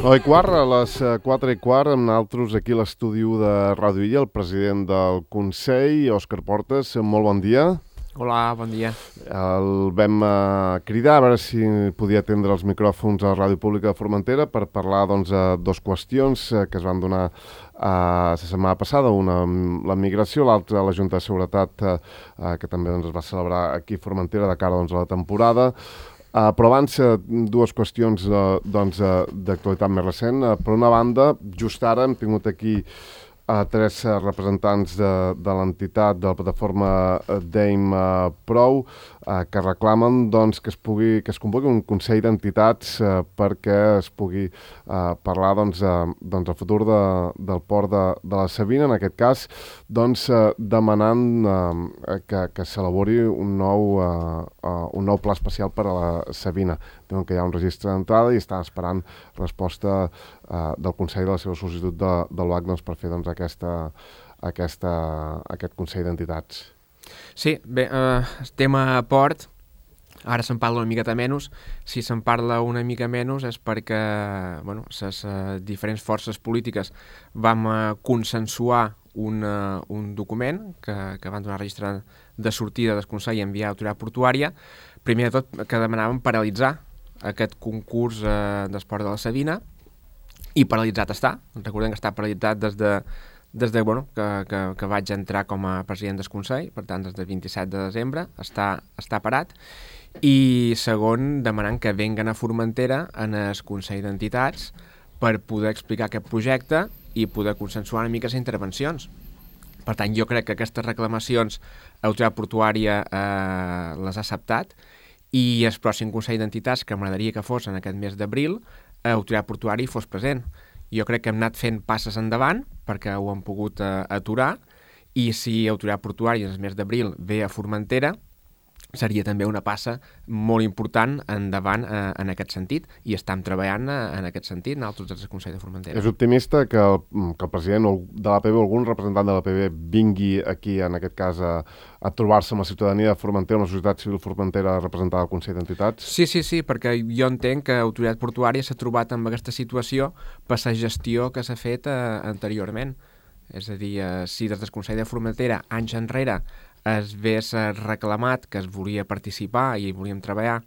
9:15, a les 4:15, amb nosaltres aquí a l'estudi de Ràdio Illa, el president del Consell, Òscar Portes. Molt bon dia. Hola, bon dia. El vam cridar a veure si podia atendre els micròfons a la Ràdio Pública de Formentera per parlar de dues qüestions que es van donar la setmana passada, una la migració, l'altra la Junta de Seguretat, que també es va celebrar aquí a Formentera de cara a la temporada. Però abans, dues qüestions d'actualitat més recent. Per una banda, just ara hem tingut aquí tres representants de l'entitat, de la plataforma DAME Prou, que reclamen que es convoqui un Consell d'Entitats perquè es pugui parlar del futur del port de la Savina, en aquest cas, demanant que s'elabori un nou pla especial per a la Savina. Diuen que hi ha un registre d'entrada i estan esperant resposta del Consell de la seva sol·licitud del BAC per fer aquest Consell d'Entitats. Sí, bé, estem a port, ara se'n parla una miqueta menys. Si se'n parla una mica menys és perquè les diferents forces polítiques vam consensuar un document que van donar registre de sortida del Consell i enviar a l'autoritat portuària. Primer de tot, que demanàvem paralitzar aquest concurs d'esport de la Savina, i paralitzat està. Recordem que està paralitzat des de que vaig entrar com a president del Consell, per tant, des del 27 de desembre, està parat. I segon, demanant que venguen a Formentera en el Consell d'Entitats per poder explicar aquest projecte i poder consensuar una mica les intervencions. Per tant, jo crec que aquestes reclamacions l'autoritat portuària les ha acceptat, i el pròxim Consell d'Entitats, que m'agradaria que fos en aquest mes d'abril, l'autoritat portuària fos present. Jo crec que hem anat fent passes endavant perquè ho hem pogut aturar, i si l'autoritat portuària en el mes d'abril ve a Formentera, seria també una passa molt important endavant en aquest sentit, i estem treballant en aquest sentit nosaltres des del Consell de Formentera. És optimista que el president de l'APB o algun representant de l'APB vingui aquí, en aquest cas, a trobar-se amb la ciutadania de Formentera, amb la societat civil formentera representada al Consell d'Entitats? Sí, perquè jo entenc que l'autoritat portuària s'ha trobat amb aquesta situació per la gestió que s'ha fet anteriorment. És a dir, si des del Consell de Formentera, anys enrere, es vés reclamat que es volia participar i volíem treballar,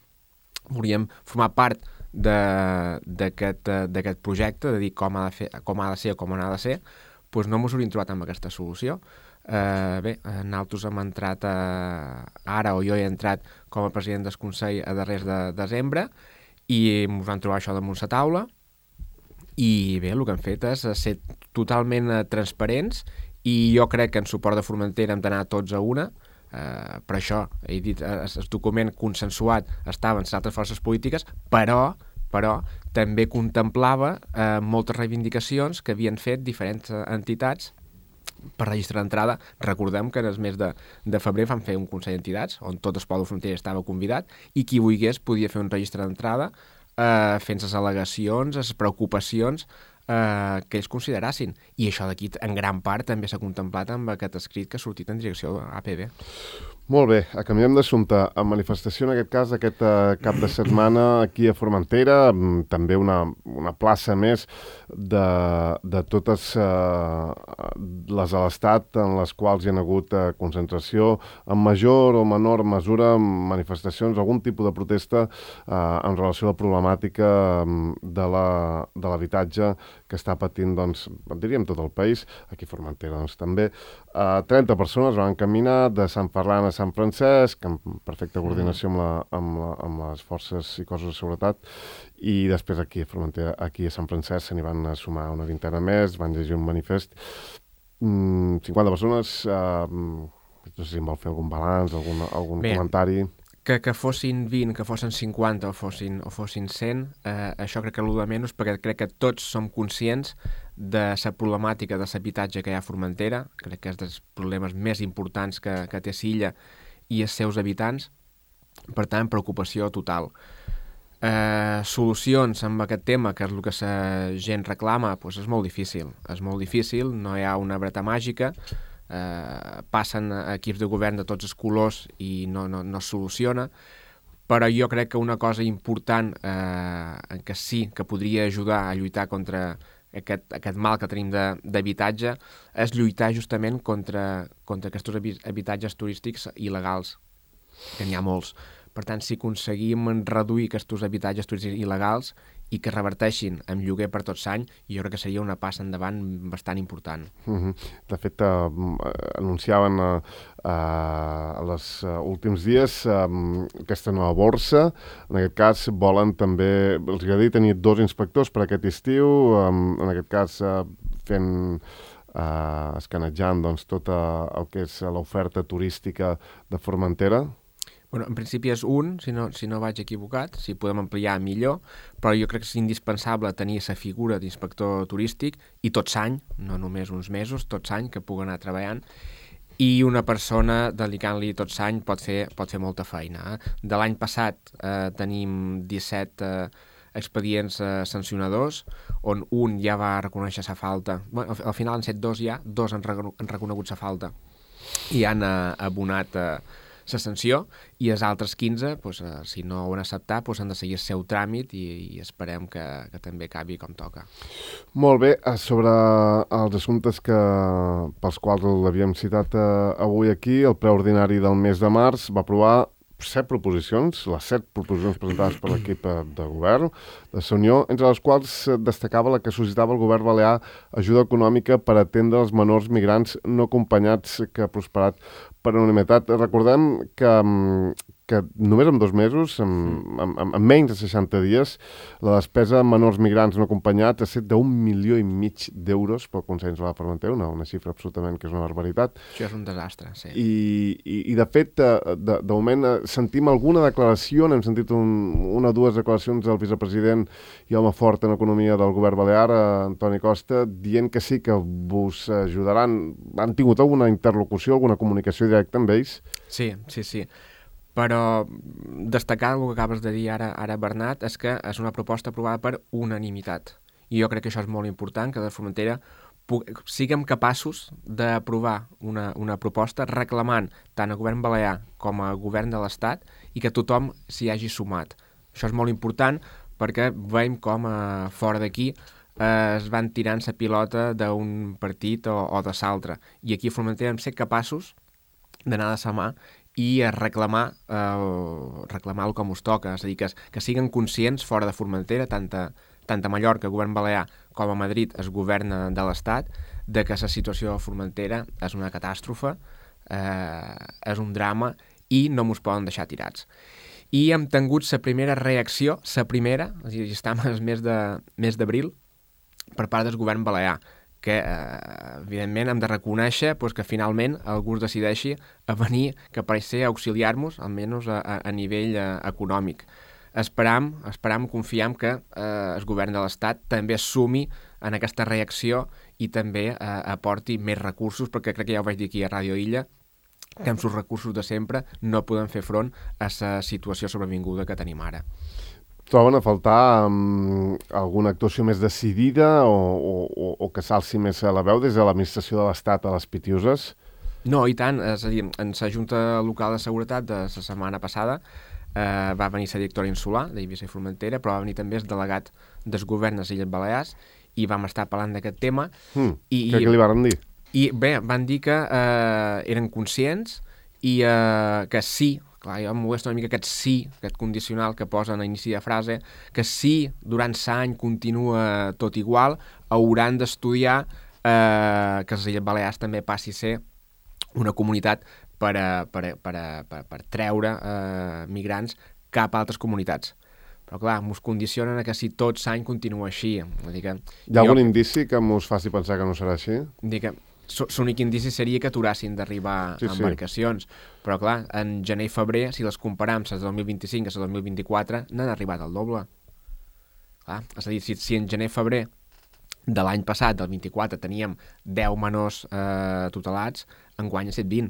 volíem formar part d'aquest projecte, de dir com ha de ser o com no ha de ser, doncs no ens hauríem trobat amb aquesta solució. Nosaltres hem entrat ara, o jo he entrat com a president del Consell a darrers de desembre, i ens vam trobar això damunt la taula, i bé, el que hem fet és ser totalment transparents, i jo crec que en suport de Formentera hem d'anar tots a una. Per això he dit, el document consensuat estava en les altres forces polítiques, però també contemplava moltes reivindicacions que havien fet diferents entitats per registre d'entrada. Recordem que en el mes de febrer vam fer un Consell d'Entitats on tot el poble de Formentera estava convidat, i qui volgués podia fer un registre d'entrada fent les al·legacions, les preocupacions que ells considerassin. I això d'aquí, en gran part, també s'ha contemplat amb aquest escrit que ha sortit en direcció a APB. Molt bé, canviem d'assumpte. A manifestació, en aquest cas, aquest cap de setmana aquí a Formentera, també una plaça més de totes les de l'Estat en les quals hi ha hagut concentració, en major o menor mesura, manifestacions, algun tipus de protesta en relació a la problemàtica de l'habitatge que està patint, diríem, tot el país, aquí a Formentera també. 30 persones van caminar de Sant Ferran a Sant Francesc, en perfecta coordinació amb les forces i cossos de seguretat, i després aquí a Formentera, aquí a Sant Francesc, se n'hi van sumar una vintena més, van llegir un manifest. 50 persones, no sé si em vol fer algun balanç, algun comentari. Que fossin 20, que fossin 50 o fossin 100, això crec que és el de menys, perquè crec que tots som conscients de la problemàtica de l'habitatge que hi ha a Formentera. Crec que és dels problemes més importants que té l'illa i els seus habitants. Per tant, preocupació total. Solucions amb aquest tema, que és el que la gent reclama, doncs és molt difícil. És molt difícil, no hi ha una vareta màgica. Passen equips de govern de tots els colors i no es soluciona. però jo crec que una cosa important que sí que podria ajudar a lluitar contra aquest mal que tenim d'habitatge és lluitar justament contra aquests habitatges turístics il·legals, que n'hi ha molts. Per tant, si aconseguim reduir aquests habitatges turístics il·legals i que reverteixin en lloguer per tot l'any, jo crec que seria una passa endavant bastant important. De fet, anunciaven els últims dies aquesta nova borsa. En aquest cas, volen també, els agradaria tenir 2 inspectors per aquest estiu, en aquest cas fent escanejant doncs, tot el que és l'oferta turística de Formentera. Bueno, en principi és un, si no vaig equivocat, si podem ampliar millor, però jo crec que és indispensable tenir la figura d'inspector turístic i tot l'any, no només uns mesos, tot l'any que pugui anar treballant, i una persona dedicant-li tot l'any pot fer molta feina. De l'any passat tenim 17 expedients sancionadors, on un ja va reconèixer la falta. Bueno, al final han set 2 ja, 2 han reconegut la falta i han abonat la sanció, i els altres 15, doncs, si no ho han acceptat, doncs han de seguir el seu tràmit i esperem que també acabi com toca. Molt bé, sobre els assumptes pels quals l'havíem citat avui aquí, el ple ordinari del mes de març va aprovar 7 proposicions, les 7 proposicions presentades per l'equip de govern de la Unió, entre les quals destacava la que sol·licitava el govern balear ajuda econòmica per atendre els menors migrants no acompanyats, que ha prosperat per unanimitat. Recordem que només en 2 mesos, en menys de 60 dies, la despesa en menors migrants no acompanyats ha estat d'1,5 milió d'euros pel Consell Insular de Formentera, una xifra absolutament que és una barbaritat. Això és un desastre, sí. I de fet, de moment sentim alguna declaració, n'hem sentit una o 2 declaracions del vicepresident i home fort en economia del govern balear, Antoni Costa, dient que sí, que vos ajudaran. Han tingut alguna interlocució, alguna comunicació directa amb ells? Sí. Però destacar el que acabes de dir ara Bernat, és que és una proposta aprovada per unanimitat. I jo crec que això és molt important, que de Formentera siguem capaços d'aprovar una proposta reclamant tant a govern balear com a govern de l'Estat i que tothom s'hi hagi sumat. Això és molt important perquè veiem com fora d'aquí es van tirant la pilota d'un partit o de l'altre. I aquí a Formentera hem set capaços d'anar de la mà i a reclamar-lo com us toca, és a dir, que siguin conscients fora de Formentera, tant a Mallorca, govern balear, com a Madrid, el govern de l'Estat, de que la situació a Formentera és una catàstrofe, és un drama i no mos poden deixar tirats. I hem tingut la primera reacció, és a dir, estem al mes d'abril, per part del govern balear, que, evidentment, hem de reconèixer que finalment algú es decideixi a venir, que pareix ser, a auxiliar-nos, almenys a nivell econòmic. Esperam, confiem que el govern de l'Estat també es sumi en aquesta reacció i també aporti més recursos, perquè crec que ja ho vaig dir aquí a Ràdio Illa, que amb els recursos de sempre no podem fer front a la situació sobrevinguda que tenim ara. Troben a faltar alguna actuació més decidida o que s'alci més a la veu des de l'administració de l'Estat a les Pitiuses? No, i tant. És a dir, en la Junta Local de Seguretat de la setmana passada va venir la directora insular d'Eivissa i Formentera, però va venir també el delegat del govern de les Illes Balears i vam estar parlant d'aquest tema. Què li van dir? I bé, van dir que eren conscients i que sí. Clar, jo em molesta una mica aquest condicional que posa a inici de frase, que si durant l'any continua tot igual, hauran d'estudiar que les Illes Balears també passi a ser una comunitat per treure migrants cap a altres comunitats. Però clar, mos condicionen a que si tot l'any continua així. Hi ha algun indici que mos faci pensar que no serà així? L'únic indici seria que aturassin d'arribar embarcacions. Però clar, en gener i febrer, si les comparam les de 2025 i les de 2024, n'han arribat al doble. Clar, és a dir, si en gener i febrer de l'any passat, del 24, teníem 10 menors tutelats, enguany ha estat 20.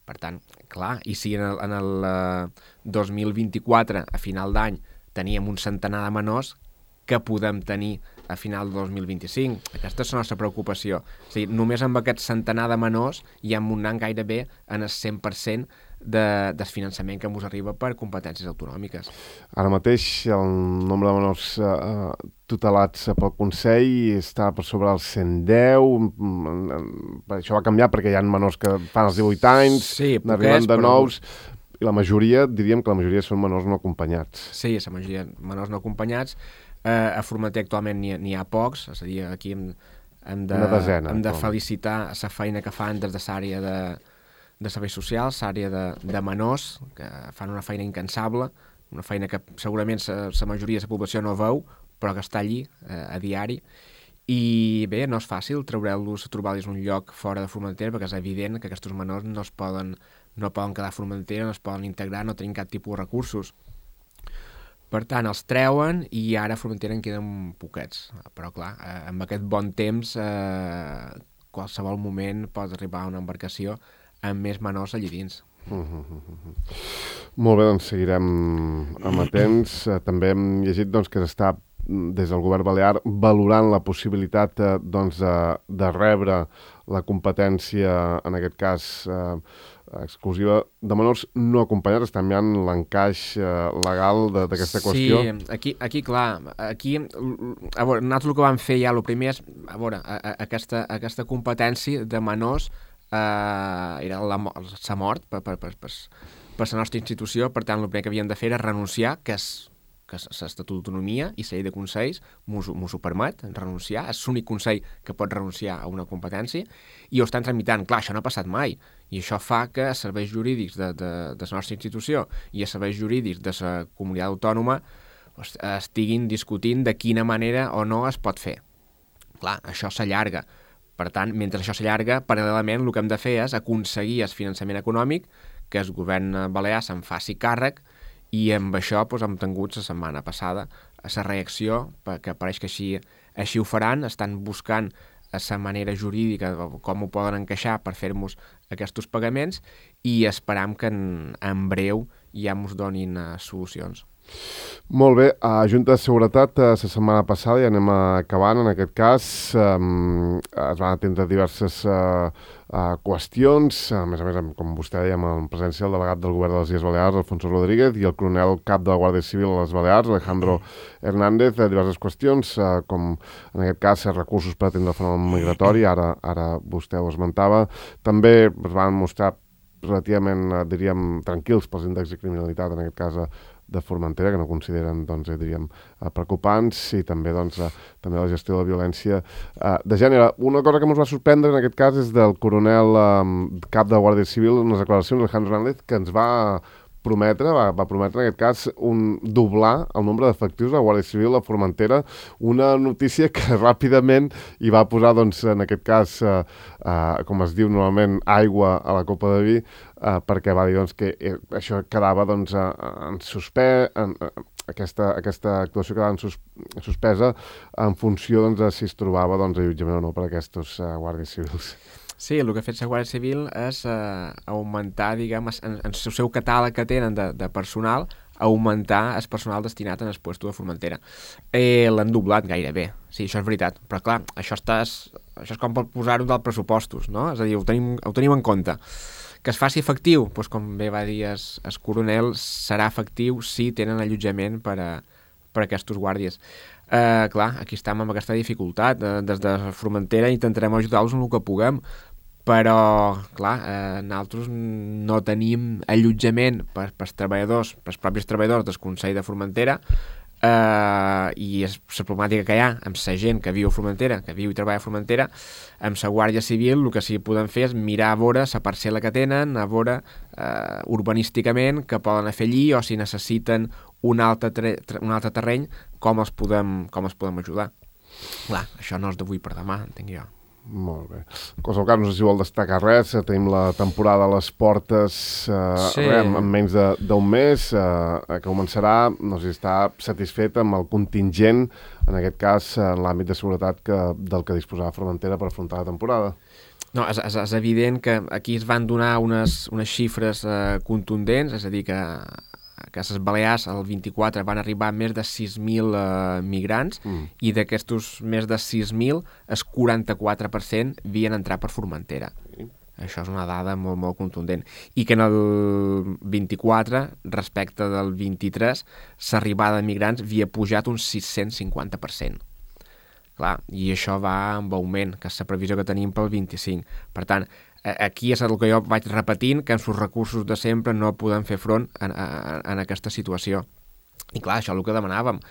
Per tant, clar, i si en el 2024, a final d'any, teníem un centenar de menors, que podem tenir a final de 2025. Aquesta és la nostra preocupació. És a dir, només amb aquest centenar de menors ja hem anat gairebé en el 100% del finançament que ens arriba per competències autonòmiques. Ara mateix el nombre de menors tutelats pel Consell està per sobre els 110. Això va canviar perquè hi ha menors que fan els 18 anys, n'arriben de nous, i la majoria, diríem que la majoria són menors no acompanyats. Sí, la majoria menors no acompanyats. A Formentera actualment n'hi ha pocs, és a dir, aquí hem de felicitar la feina que fan des de l'àrea de serveis socials, l'àrea de menors, que fan una feina incansable, una feina que segurament la majoria de la població no veu, però que està allí a diari. I bé, no és fàcil trobar-los un lloc fora de Formentera, perquè és evident que aquests menors no poden quedar a Formentera, no es poden integrar, no tenen cap tipus de recursos. Per tant, els treuen i ara a Formentera en queden poquets. Però clar, amb aquest bon temps, qualsevol moment pot arribar a una embarcació amb més menors allà dins. Molt bé, doncs seguirem amatents. També hem llegit que s'està des del govern balear valorant la possibilitat de rebre la competència, en aquest cas exclusiva, de menors no acompanyats. Està mirant l'encaix legal d'aquesta qüestió. Sí, aquí clar, a veure, nosaltres el que vam fer ja, el primer és, a veure, aquesta competència de menors era la mort per la nostra institució. Per tant, el primer que havíem de fer era renunciar, que l'Estatut d'Autonomia i la llei de consells mos ho permet, renunciar. És l'únic consell que pot renunciar a una competència i ho estan tramitant. Clar, això no ha passat mai i això fa que els serveis jurídics de la nostra institució i els serveis jurídics de la comunitat autònoma estiguin discutint de quina manera o no es pot fer. Clar, això s'allarga. Per tant, mentre això s'allarga, paral·lelament el que hem de fer és aconseguir el finançament econòmic, que el govern balear se'n faci càrrec, i amb això hem tingut la setmana passada la reacció, que pareix que així ho faran, estan buscant la manera jurídica, com ho poden encaixar per fer-nos aquests pagaments, i esperam que en breu ja ens donin solucions. Molt bé, a Junta de Seguretat la setmana passada, ja anem acabant en aquest cas, es van atendre diverses qüestions, a més, com vostè deia, amb presència del delegat del govern de les Illes Balears, Alfonso Rodríguez, i el coronel cap de la Guàrdia Civil a les Balears, Alejandro Hernández, diverses qüestions, com en aquest cas recursos per atendre el fenomen migratori, ara vostè ho esmentava. També es van mostrar relativament, diríem, tranquils pels índexs de criminalitat, en aquest cas de Formentera, que no consideren, diríem, preocupants, i també, també la gestió de la violència de gènere. Una cosa que ens va sorprendre en aquest cas és del coronel cap de la Guàrdia Civil, unes declaracions d'Alejandro Hernández, que ens va prometre en aquest cas doblar el nombre d'efectius de la Guàrdia Civil a Formentera, una notícia que ràpidament hi va posar, en aquest cas, com es diu normalment, aigua a la copa de vi, perquè va dir que això quedava en suspès, aquesta actuació quedava suspesa en funció de si es trobava allotjament o no per aquests guàrdies civils. Sí, el que ha fet la Guàrdia Civil és augmentar, diguem, en el seu catàleg que tenen de personal, augmentar el personal destinat en el puesto de Formentera. L'han doblat gairebé, sí, això és veritat, però clar, això és com per posar-ho dels pressupostos, no? És a dir, ho tenim en compte. Que es faci efectiu, doncs com bé va dir el coronel, serà efectiu si tenen allotjament per a aquests guàrdies. Clar, aquí estem amb aquesta dificultat. Des de Formentera intentarem ajudar-los en el que puguem, però, clar, nosaltres no tenim allotjament per als treballadors, per als propis treballadors del Consell de Formentera, i la problemàtica que hi ha amb la gent que viu a Formentera, que viu i treballa a Formentera, amb la Guàrdia Civil, el que sí que podem fer és mirar a veure la parcel·la que tenen, a veure urbanísticament què poden fer allí, o si necessiten un altre terreny, com els podem ajudar. Clar, això no és d'avui per demà, entenc jo. Molt bé. En qualsevol cas, no sé si vol destacar res. Tenim la temporada a les portes en menys d'un mes, que començarà. No sé si està satisfet amb el contingent, en aquest cas, en l'àmbit de seguretat del que disposava Formentera per afrontar la temporada. No, és evident que aquí es van donar unes xifres contundents, és a dir, que que a les Balears el 24 van arribar més de 6.000 migrants i d'aquestos més de 6.000 el 44% havien entrat per Formentera. Això és una dada molt, molt contundent. I que en el 24, respecte del 23, l'arribada de migrants havia pujat un 650%. Clar, i això va amb augment, que és la previsió que tenim pel 25. Per tant, aquí és el que jo vaig repetint, que amb els recursos de sempre no podem fer front en aquesta situació. I clar, això és el que demanàvem.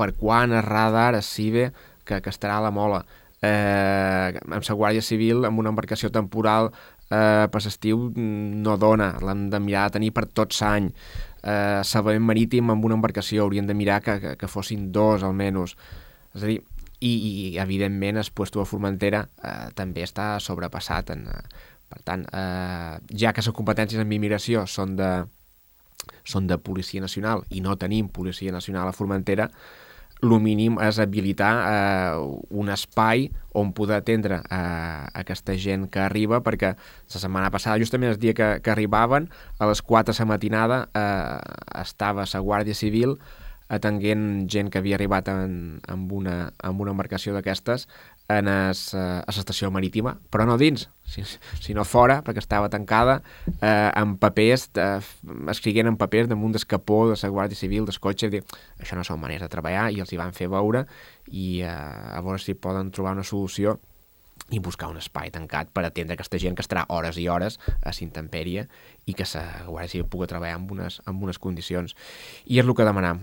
Per quan el radar es CIBE que estarà a la Mola? Amb la Guàrdia Civil, amb una embarcació temporal per l'estiu no dona, l'hem de mirar de tenir per tot l'any. Salvament marítim amb una embarcació hauríem de mirar que fossin 2 almenys. És a dir, i evidentment el puesto de Formentera també està sobrepassat. Per tant, ja que les competències en immigració són de Policia Nacional i no tenim Policia Nacional a Formentera, el mínim és habilitar un espai on poder atendre aquesta gent que arriba, perquè la setmana passada, justament el dia que arribaven, a les 4 de la matinada estava la Guàrdia Civil atenguent gent que havia arribat amb una embarcació d'aquestes a l'estació marítima, però no dins, sinó fora, perquè estava tancada, amb papers, escriguent en papers damunt d'escapó de la Guàrdia Civil, del cotxe. Això no són maneres de treballar, i els hi van fer veure, i a veure si poden trobar una solució i buscar un espai tancat per atendre aquesta gent que estarà hores i hores a l'intempèrie i que la Guàrdia Civil pugui treballar amb unes condicions. I és el que demanam,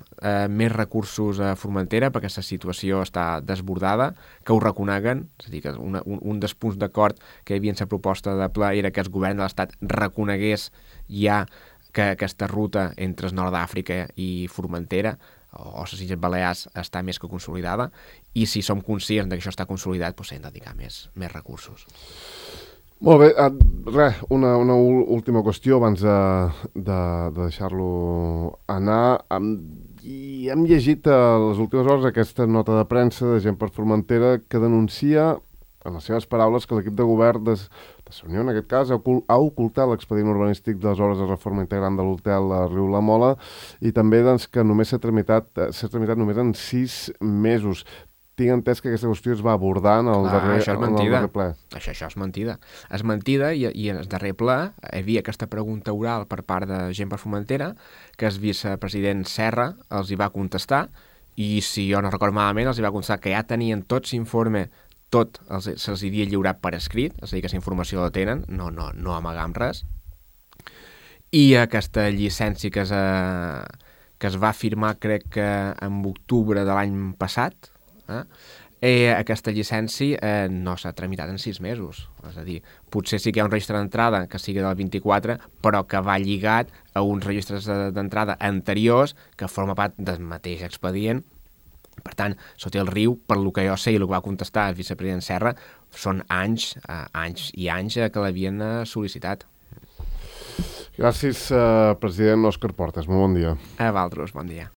més recursos a Formentera, perquè la situació està desbordada, que ho reconeguen, és a dir, que un dels punts d'acord que hi havia en la proposta de ple era que el govern de l'Estat reconegués ja que aquesta ruta entre el nord d'Àfrica i Formentera o les Illes Balears està més que consolidada, i si som conscients que això està consolidat, doncs hem de dedicar més recursos. Molt bé, una última qüestió abans de deixar-lo anar. I hem llegit a les últimes hores aquesta nota de premsa de Gent per Formentera que denuncia, en les seves paraules, que l'equip de govern de la Unió, en aquest cas, ha ocultat l'expedient urbanístic de les obres de reforma integrant de l'hotel a Riu La Mola, i també doncs, que només s'ha tramitat només en 6 mesos. Tinc entès que aquesta qüestió es va abordar en el darrer ple. Això és mentida. És mentida, i en el darrer ple hi havia aquesta pregunta oral per part de Gent per Formentera, que el vicepresident Serra els hi va contestar, i si jo no recordo malament, els hi va contestar que ja tenien tot l'informe, tot se'ls havia lliurat per escrit, és a dir, que la informació la tenen, no amagam res, i aquesta llicència que es va firmar, crec que en octubre de l'any passat, aquesta llicència no s'ha tramitat en 6 mesos. És a dir, potser sí que hi ha un registre d'entrada que sigui del 24, però que va lligat a uns registres d'entrada anteriors que forma part del mateix expedient. Per tant, sota el riu, per lo que jo sé i el que va contestar el vicepresident Serra, són anys i anys que l'havien sol·licitat. Gràcies, president Òscar Portas. Molt bon dia. A vosaltres, bon dia.